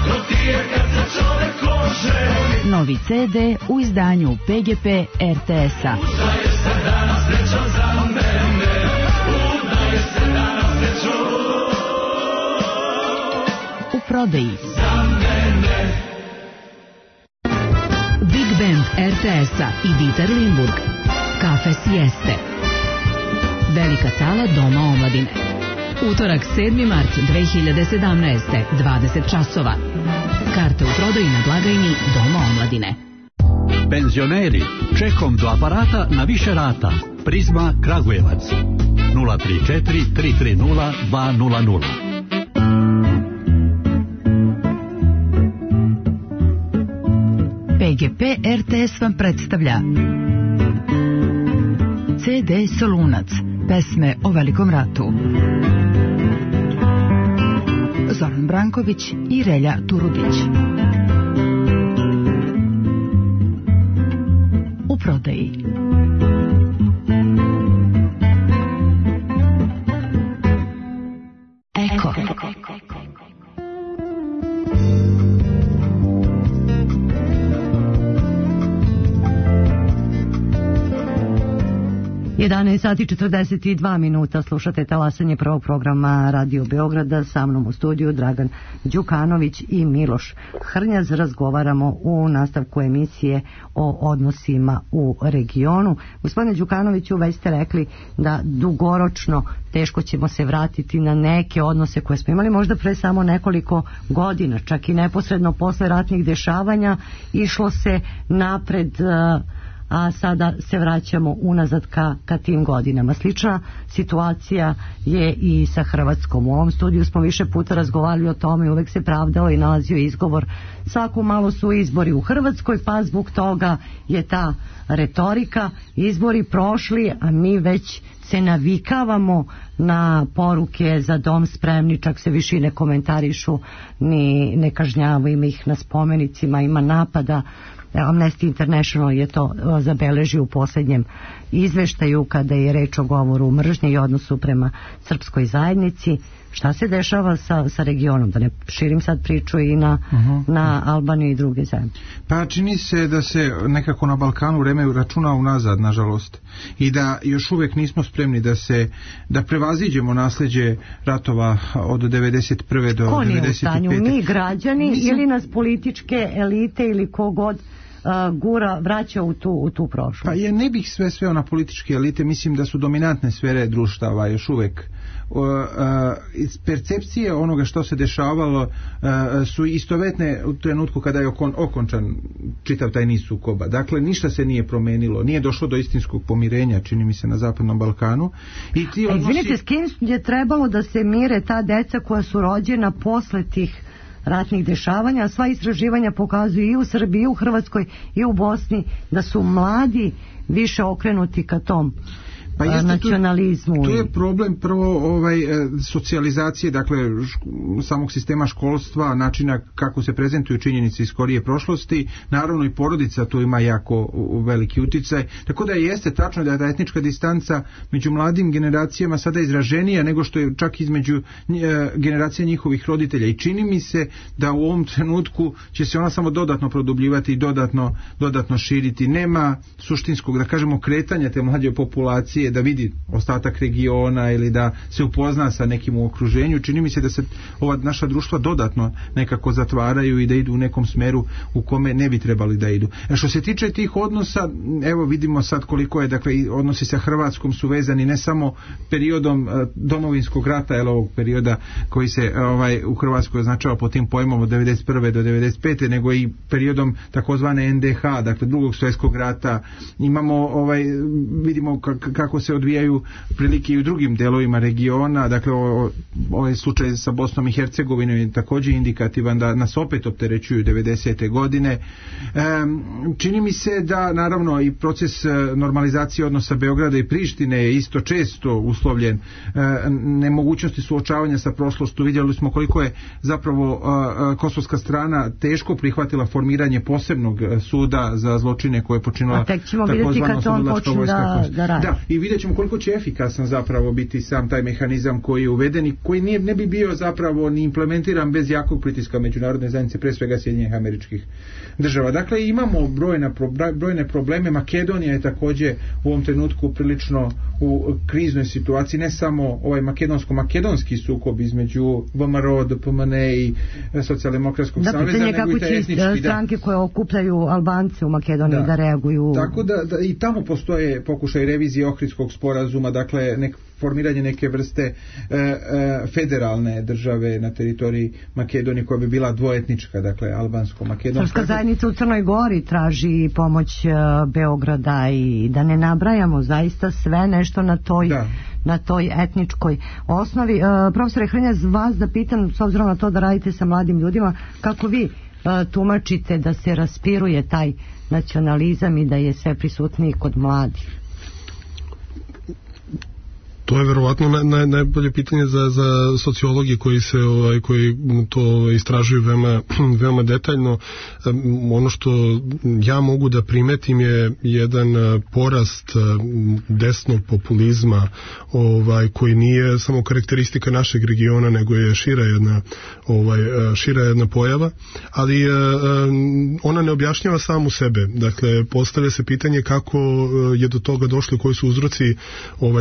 to ti je kad se čovek oženi. Novi CD u izdanju PGP RTS-a. Udaje se danas srećan za mene, udaje se danas srećan u prodaji. Za mene. Big Band RTS-a i Dieter Limburg. Kafe Sieste. Velika sala Doma omladine. Utorak 7. mart 2017. 20 časova. Karte u prodaji na blagajni Doma omladine. Penzioneri, čekom do aparata na više rata. Prizma Kragujevac 034 330 200. PGP RTS vam predstavlja CD Solunac, pesme o Velikom ratu. Zoran Branković i Relja Turudić. U prodaji. Eko. 11 sati 42 minuta, slušate talasanje prvog programa Radio Beograda, sa mnom u studiju Dragan Đukanović i Miloš Hrnjaz. Razgovaramo u nastavku emisije o odnosima u regionu. Gospodine Đukanoviću, već ste rekli da dugoročno teško ćemo se vratiti na neke odnose koje smo imali možda pre samo nekoliko godina, čak i neposredno posle ratnih dešavanja išlo se napred, a sada se vraćamo unazad ka tim godinama. Slična situacija je i sa Hrvatskom. U ovom studiju smo više puta razgovarali o tome i uvek se pravdao i nalazio izgovor. Svako malo su izbori u Hrvatskoj, pa zbog toga je ta retorika. Izbori prošli, a mi već se navikavamo na poruke za dom spremni, čak se više ne komentarišu ni ne kažnjavaju ih na spomenicima, ima napada. Amnesty International je to zabeležio u posljednjem izveštaju kada je reč o govoru mržnje i odnosu prema srpskoj zajednici. Šta se dešava sa regionom? Da ne širim sad priču i na Albaniju i druge zemlje. Pa čini se da se nekako na Balkanu vreme računa unazad, nažalost. I da još uvijek nismo spremni da prevaziđemo nasljeđe ratova od 91. do 95. Ko nije u stanju? Mi građani ili nas političke elite ili kogod gura vraća u tu prošlost? Pa ja ne bih sve na političke elite, mislim da su dominantne sfere društava još uvijek. Iz percepcije onoga što se dešavalo su istovetne u trenutku kada je okončan čitav taj niz sukoba. Dakle, ništa se nije promenilo, nije došlo do istinskog pomirenja, čini mi se, na Zapadnom Balkanu. I ti odnosi... Izvinite, s kim je trebalo da se mire ta deca koja su rođena posle tih ratnih dešavanja? Sva istraživanja pokazuju i u Srbiji, i u Hrvatskoj, i u Bosni da su mladi više okrenuti ka tom nacionalizmu. Tu je problem prvo socijalizacije, dakle samog sistema školstva, načina kako se prezentuju činjenice iz skorije prošlosti, naravno i porodica tu ima jako veliki uticaj, tako da jeste tačno da je ta etnička distanca među mladim generacijama sada izraženija nego što je čak između generacija njihovih roditelja, i čini mi se da u ovom trenutku će se ona samo dodatno produbljivati i dodatno širiti. Nema suštinskog, da kažemo, kretanja te mlađe populacije Srbije da vidi ostatak regiona ili da se upozna sa nekim u okruženju. Čini mi se da se ova naša društva dodatno nekako zatvaraju i da idu u nekom smeru u kome ne bi trebali da idu. Što se tiče tih odnosa, evo vidimo sad koliko je, dakle, odnosi sa Hrvatskom su vezani ne samo periodom domovinskog rata, ovog perioda koji se u Hrvatskoj označava po tim pojmom od 91. do 95. nego i periodom takozvane NDH, dakle drugog svjetskog rata. Imamo vidimo kako se odvijaju prilike i u drugim delovima regiona, dakle ovaj slučaj sa Bosnom i Hercegovinom je također indikativan da nas opet opterećuju 90. godine. Čini mi se da naravno i proces normalizacije odnosa Beograda i Prištine je isto često uslovljen nemogućnosti suočavanja sa prošlošću. Vidjeli smo koliko je zapravo kosovska strana teško prihvatila formiranje posebnog suda za zločine koje je počinila takozvana oslobodilačka vojska. Da, i vidjet ćemo koliko će efikasan zapravo biti sam taj mehanizam koji je uveden i koji ne bi bio zapravo ni implementiran bez jakog pritiska međunarodne zajednice, pre svega Sjedinjenih Američkih Država. Dakle, imamo brojne probleme. Makedonija je također u ovom trenutku prilično u kriznoj situaciji, ne samo ovaj makedonski sukob između VMRO, DPMN i Socijaldemokratskog saveza, nego i taj etnički. Stranke koje okupljaju Albance u Makedoniji da reaguju. Tako da i tamo postoje pokušaj revizije Ohridskog sporazuma, dakle formiranje neke vrste federalne države na teritoriji Makedonije koja bi bila dvoetnička, dakle albansko-makedonska. Srpska zajednica u Crnoj Gori traži pomoć Beograda i da ne nabrajamo zaista sve nešto na toj etničkoj osnovi. Profesore Hrnjaz, vas da pitam, s obzirom na to da radite sa mladim ljudima, kako vi tumačite da se raspiruje taj nacionalizam i da je sve prisutniji kod mladih? To je verovatno najbolje pitanje za sociologi koji to istražuju veoma detaljno. Ono što ja mogu da primetim je jedan porast desnog populizma koji nije samo karakteristika našeg regiona, nego je šira jedna pojava, ali ona ne objašnjava samu sebe. Dakle, postavlja se pitanje kako je do toga došlo, koji su uzroci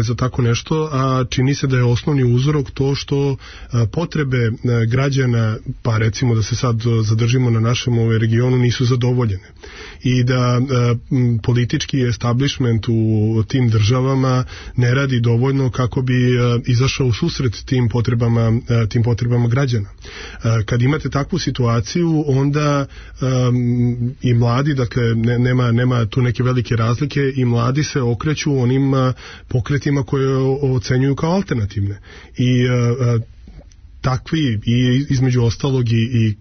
za tako nešto, a čini se da je osnovni uzrok to što potrebe građana, pa recimo da se sad zadržimo na našem regionu, nisu zadovoljene i da politički establishment u tim državama ne radi dovoljno kako bi izašao u susret tim potrebama građana. Kad imate takvu situaciju, onda i mladi, dakle nema tu neke velike razlike, i mladi se okreću onim pokretima koje ocenjuju kao alternativne i takvi i između ostalog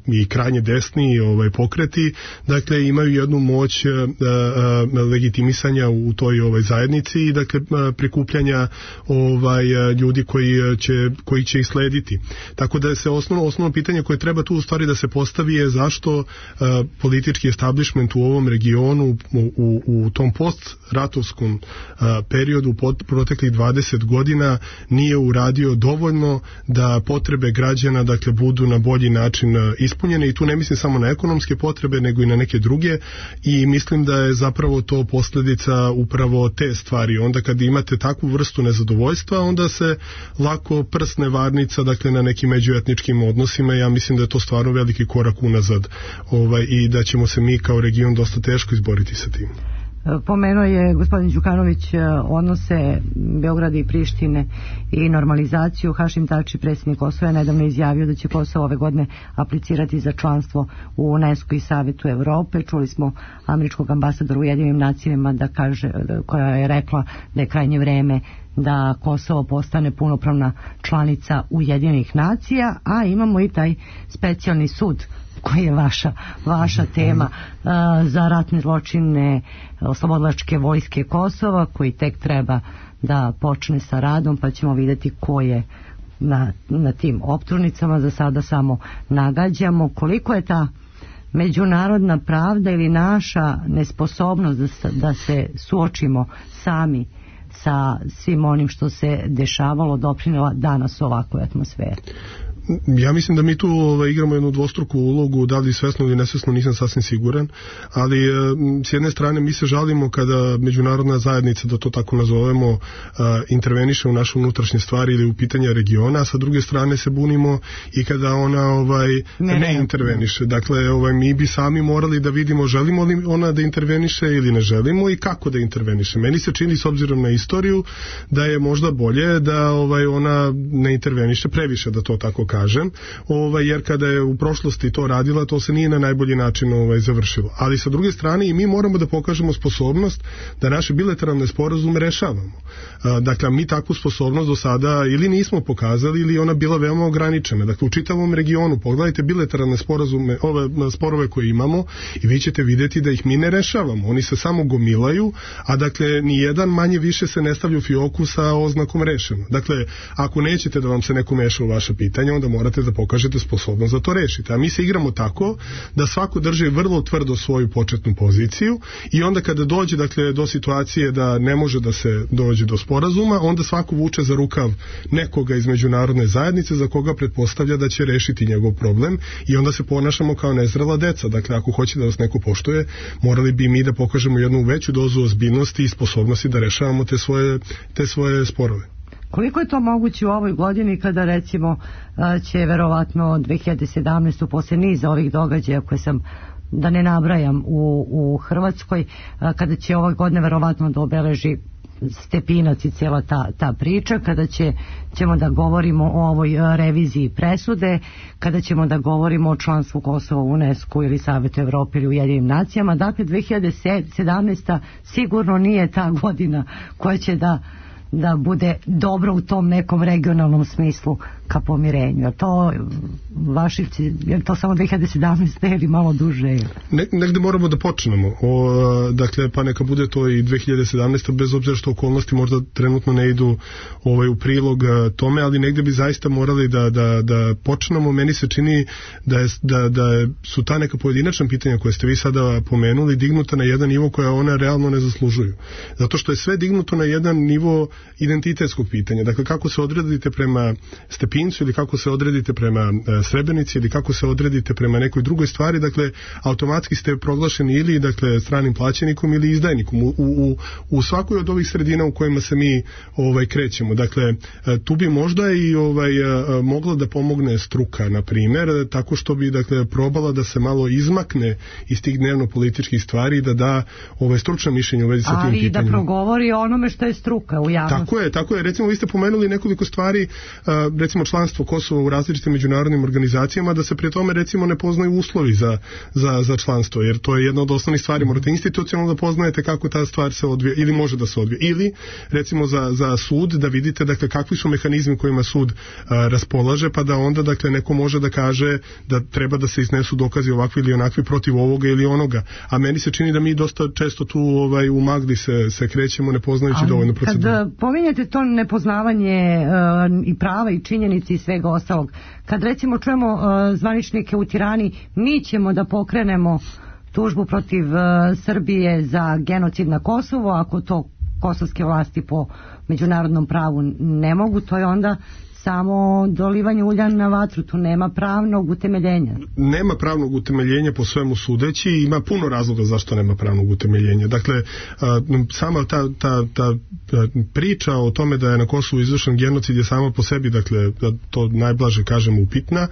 i krajnje desni pokreti, dakle imaju jednu moć legitimisanja u toj zajednici i dakle prikupljanja ljudi koji će ih slediti. Tako da se osnovno pitanje koje treba tu u stvari da se postavi je zašto politički establishment u ovom regionu u tom postratovskom periodu proteklih 20 godina nije uradio dovoljno da potrebe građana, dakle, budu na bolji način ispunjene, i tu ne mislim samo na ekonomske potrebe, nego i na neke druge, i mislim da je zapravo to posljedica upravo te stvari. Onda kad imate takvu vrstu nezadovoljstva, onda se lako prsne varnica, dakle, na nekim međuetničkim odnosima. Ja mislim da je to stvarno veliki korak unazad i da ćemo se mi kao region dosta teško izboriti sa tim. Pomenuo je gospodin Đukanović odnose Beograda i Prištine i normalizaciju. Hašim Tači, predsjednik Kosova, je nedavno izjavio da će Kosovo ove godine aplicirati za članstvo u UNESCO i Savetu Evrope. Čuli smo američkog ambasadora u Ujedinjenim nacijama koja je rekla da je krajnje vreme da Kosovo postane punopravna članica Ujedinjenih nacija, a imamo i taj specijalni sud koji je vaša tema za ratne zločine oslobodilačke vojske Kosova, koji tek treba da počne sa radom, pa ćemo vidjeti ko je na tim optužnicama. Za sada samo nagađamo koliko je ta međunarodna pravda ili naša nesposobnost da se suočimo sami sa svim onim što se dešavalo doprinela danas u ovakvoj atmosferi. Ja mislim da mi tu igramo jednu dvostruku ulogu, da li svesno ili nesvesno, nisam sasvim siguran, ali s jedne strane mi se žalimo kada međunarodna zajednica, da to tako nazovemo, interveniše u naše unutrašnje stvari ili u pitanja regiona, a sa druge strane se bunimo i kada ona ne interveniše. Dakle, mi bi sami morali da vidimo želimo li ona da interveniše ili ne želimo i kako da interveniše. Meni se čini, s obzirom na istoriju, da je možda bolje da ona ne interveniše previše, da to tako kažem, jer kada je u prošlosti to radila, to se nije na najbolji način završilo. Ali sa druge strane i mi moramo da pokažemo sposobnost da naše bilateralne sporazume rešavamo. Dakle, mi takvu sposobnost do sada ili nismo pokazali ili ona bila veoma ograničena. Dakle, u čitavom regionu pogledajte bilateralne sporazume, sporove koje imamo i vi ćete vidjeti da ih mi ne rešavamo. Oni se samo gomilaju, a dakle, nijedan manje više se ne stavlja u fioku sa oznakom rešeno. Dakle, ako nećete da vam se neko meša u vaše pitanje, onda morate da pokažete sposobnost da to rešite. A mi se igramo tako da svako drži vrlo tvrdo svoju početnu poziciju i onda kada dođe do situacije da ne može da se dođe do sporazuma, onda svako vuče za rukav nekoga iz međunarodne zajednice za koga pretpostavlja da će rešiti njegov problem i onda se ponašamo kao nezrela deca. Dakle, ako hoće da vas neko poštuje, morali bi mi da pokažemo jednu veću dozu ozbiljnosti i sposobnosti da rešavamo te svoje sporove. Koliko je to moguće u ovoj godini kada recimo će verovatno 2017. posle niza ovih događaja koje sam, da ne nabrajam, u Hrvatskoj, kada će ove godine verovatno da obeleži Stepinac i cijela ta priča, kada ćemo da govorimo o ovoj reviziji presude, kada ćemo da govorimo o članstvu Kosova u UNESCO ili Savetu Evrope ili Ujedinjenim nacijama. Dakle, 2017. sigurno nije ta godina koja će da bude dobro u tom nekom regionalnom smislu ka pomirenju. A to Vašivci, je to samo 2017. ili malo duže? Negde moramo da počnemo. Dakle, pa neka bude to i 2017. bez obzira što okolnosti možda trenutno ne idu u prilog tome, ali negde bi zaista morali da počnemo. Meni se čini da su ta neka pojedinačna pitanja koje ste vi sada pomenuli dignuta na jedan nivo koja ona realno ne zaslužuju. Zato što je sve dignuto na jedan nivo identitetskog pitanja. Dakle, kako se odredite prema Stepincu ili kako se odredite prema Srebrenici ili kako se odredite prema nekoj drugoj stvari, dakle, automatski ste proglašeni ili stranim plaćenikom ili izdajnikom u svakoj od ovih sredina u kojima se mi krećemo. Dakle, tu bi možda i mogla da pomogne struka, na primjer, tako što bi probala da se malo izmakne iz tih dnevno-političkih stvari i da da stručno mišljenje u vezi sa tim pitanjima. Ali da progovori o onome što je struka u javnosti. Tako je. Recimo, vi ste pomenuli nekoliko stvari, recimo članstvo Kosova u različitim međunarodnim organizacijama, da se prije tome recimo ne poznaju uslovi za članstvo, jer to je jedna od osnovnih stvari. Morate institucionalno da poznajete kako ta stvar se odvija ili može da se odvija. Ili recimo za sud da vidite kakvi su mehanizmi kojima sud raspolaže, pa da onda neko može da kaže da treba da se iznesu dokazi ovakvi ili onakvi protiv ovoga ili onoga. A meni se čini da mi dosta često tu u magli se krećemo ne poznajući dovoljno proceduru. Kad pominjete to nepoznavanje i prava i činjenici i svega ostalog, kad recimo čujemo zvaničnike u Tirani, mi ćemo da pokrenemo tužbu protiv Srbije za genocid na Kosovo, ako to kosovske vlasti po međunarodnom pravu ne mogu, to je onda samo dolivanje ulja na vatru, tu nema pravnog utemeljenja. Nema pravnog utemeljenja po svemu sudeći, ima puno razloga zašto nema pravnog utemeljenja. Dakle, sama ta priča o tome da je na Kosovu izvršen genocid je sama po sebi, dakle, da to najblaže kažemo, upitna,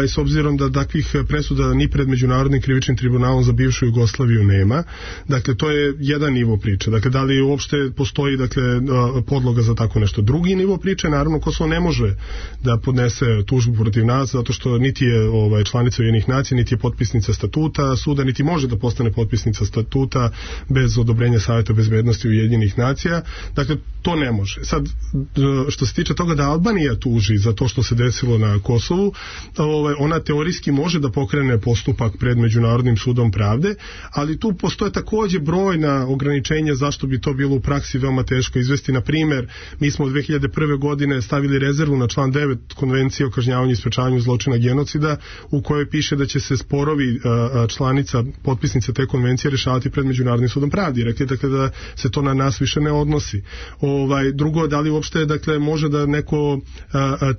s obzirom da takvih presuda ni pred Međunarodnim krivičnim tribunalom za bivšu Jugoslaviju nema. Dakle, to je jedan nivo priče. Dakle, da li uopšte postoji podloga za tako nešto. Drugi nivo priče, naravno, Kosovo ne može da podnese tužbu protiv nas, zato što niti je članica Ujedinjenih nacija, niti je potpisnica statuta suda, niti može da postane potpisnica statuta bez odobrenja Saveta bezbednosti Ujedinjenih nacija. Dakle, to ne može. Sad, što se tiče toga da Albanija tuži za to što se desilo na Kosovu, ona teorijski može da pokrene postupak pred Međunarodnim sudom pravde, ali tu postoje također brojna ograničenja zašto bi to bilo u praksi veoma teško izvesti. Na primjer, mi smo od 2001. godine stavili rezervu na član 9 Konvencije o kažnjavanju i sprečavanju zločina genocida, u kojoj piše da će se sporovi članica, potpisnice te konvencije rešavati pred Međunarodnim sudom pravde. Rekli dakle da se to na nas više ne odnosi. Drugo, da li uopšte dakle može da neko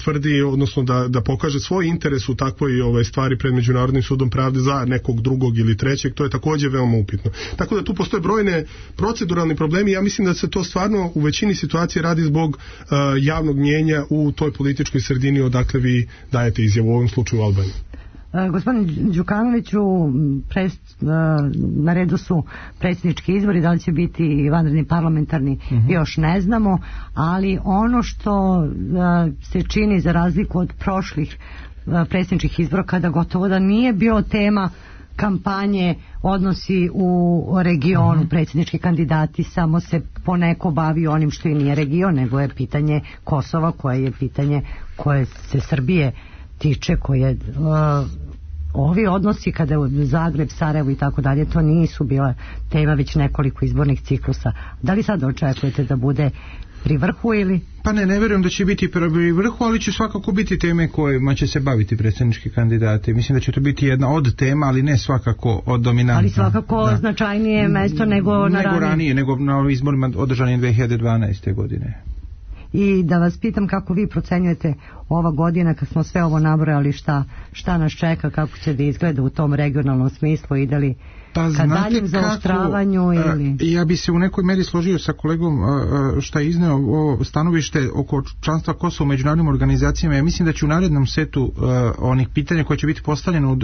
tvrdi, odnosno da pokaže svoj interes u takvoj stvari pred Međunarodnim sudom pravde za nekog drugog ili trećeg, to je također veoma upitno. Tako da tu postoje brojne proceduralni problemi. Ja mislim da se to stvarno u većini situacije radi zbog javnog mnijenja u toj političkoj sredini odakle vi dajete izjavu, u ovom slučaju u Albaniji. Gospodin Đukanoviću, na redu su predsjednički izbori, da li će biti vanredni parlamentarni, još ne znamo, ali ono što se čini za razliku od prošlih predsjedničkih izbora, kada gotovo da nije bio tema kampanje, odnosi u regionu, predsjednički kandidati samo se poneko bavi onim što i nije region, nego je pitanje Kosova, koje je pitanje koje se Srbije tiče, koje ovi odnosi kada je Zagreb, Sarajevo i tako dalje, to nisu bila tema već nekoliko izbornih ciklusa. Da li sad očekujete da bude pri vrhu ili? Pa ne vjerujem da će biti pri vrhu, ali će svakako biti teme kojima će se baviti predsjednički kandidati. Mislim da će to biti jedna od tema, ali ne svakako od dominantna. Ali svakako značajnije mesto nego ranije. Nego na izborima održanim 2012. godine. I da vas pitam kako vi procenjujete ova godina, kad smo sve ovo nabrojali, šta nas čeka, kako će da izgleda u tom regionalnom smislu, ide li ka daljem zaoštravanju ili... Ja bi se u nekoj meri složio sa kolegom šta je izneo ovo stanovište oko članstva Kosova u međunarodnim organizacijama. Ja mislim da će u narednom setu onih pitanja koje će biti postavljeno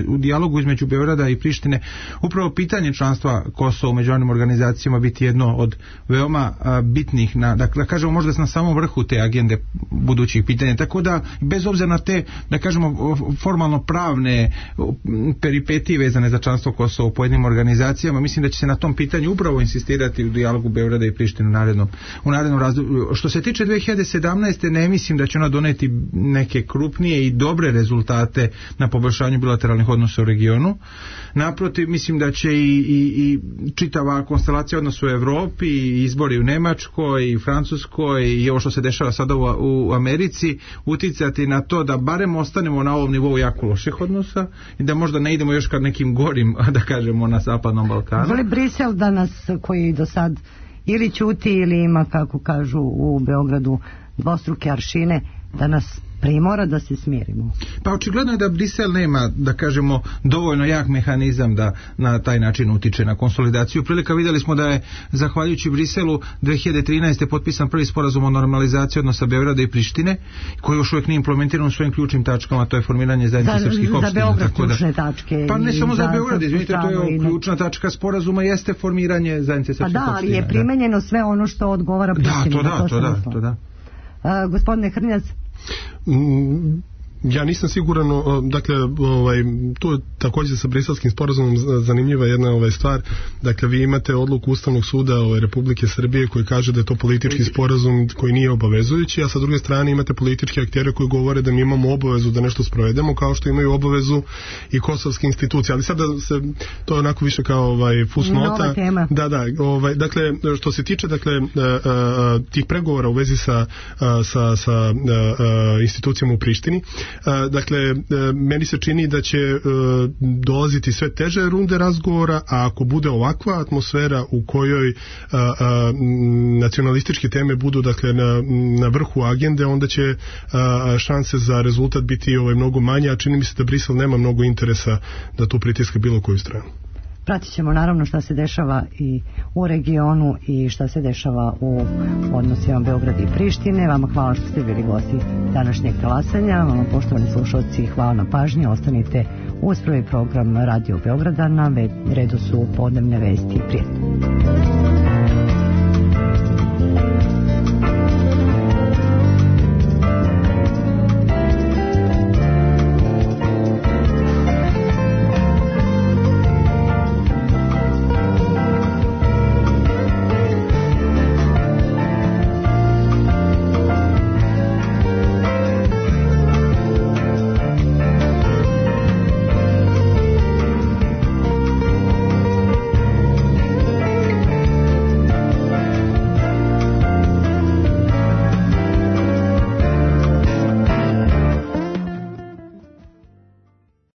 u dijalogu između Beograda i Prištine, upravo pitanje članstva Kosova u međunarodnim organizacijama biti jedno od veoma bitnih, da kažemo možda na samom vrhu te agende budućih pitanja. Tako da, bez obzira na te, da kažemo, formalno pravne peripetije vezane za članstvo Kosova u pojedinim organizacijama, mislim da će se na tom pitanju upravo insistirati u dijalogu Beograda i Prištine u narednom razdoblju. Što se tiče 2017. ne mislim da će ona doneti neke krupnije i dobre rezultate na poboljšanju bilateralnih odnosa u regionu. Naprotiv, mislim da će i čitava konstelacija odnosa u Evropi, i izbori u Nemačkoj i Francuskoj i ovo što se dešava sada u Americi uticati na to da barem ostanemo na ovom nivou jako loših odnosa i da možda ne idemo još ka nekim gorim, da kažemo, na Zapadnom Balkanu. Voli Brisel danas, koji do sad ili ćuti ili ima, kako kažu u Beogradu, dvostruke aršine, da nas primora da se smirimo? Pa očigledno je da Brisel nema, da kažemo, dovoljno jak mehanizam da na taj način utiče na konsolidaciju prilika. Vidjeli smo da je zahvaljujući Briselu 2013. potpisan prvi sporazum o normalizaciji odnosa Beograda i Prištine, koji još uvijek nije implementiran u svojim ključnim tačkama, to je formiranje zajednice srpskih opština. Za Beograd ključne tačke. Pa ne samo za Beograd, izvinite, to je ključna tačka sporazuma, jeste formiranje zajednice srpskih opština. Pa da, ali je primenjeno sve ono što odgovara Prištini. To da. Gospodine Hrnjac, ja nisam siguran, dakle, tu je također sa briselskim sporazumom zanimljiva jedna stvar. Dakle, vi imate odluku Ustavnog suda Republike Srbije koji kaže da je to politički sporazum koji nije obavezujući, a sa druge strane imate političke aktere koji govore da mi imamo obavezu da nešto sprovedemo, kao što imaju obavezu i kosovske institucije. Ali sada se to je onako više kao fusnota. Nova tema. Da, dakle, što se tiče tih pregovora u vezi sa institucijama u Prištini, dakle, meni se čini da će dolaziti sve teže runde razgovora, a ako bude ovakva atmosfera u kojoj nacionalističke teme budu, dakle, na vrhu agende, onda će šanse za rezultat biti mnogo manje, a čini mi se da Brisel nema mnogo interesa da tu pritiska bilo koju stranu. Pratit ćemo naravno šta se dešava i u regionu i šta se dešava u odnosima Beograda i Prištine. Vama hvala što ste bili gosti današnjeg talasanja. Vama, poštovani slušalci, hvala na pažnji. Ostanite uz prvi program Radio Beograda. Na redu su podnevne vesti. Prijetno.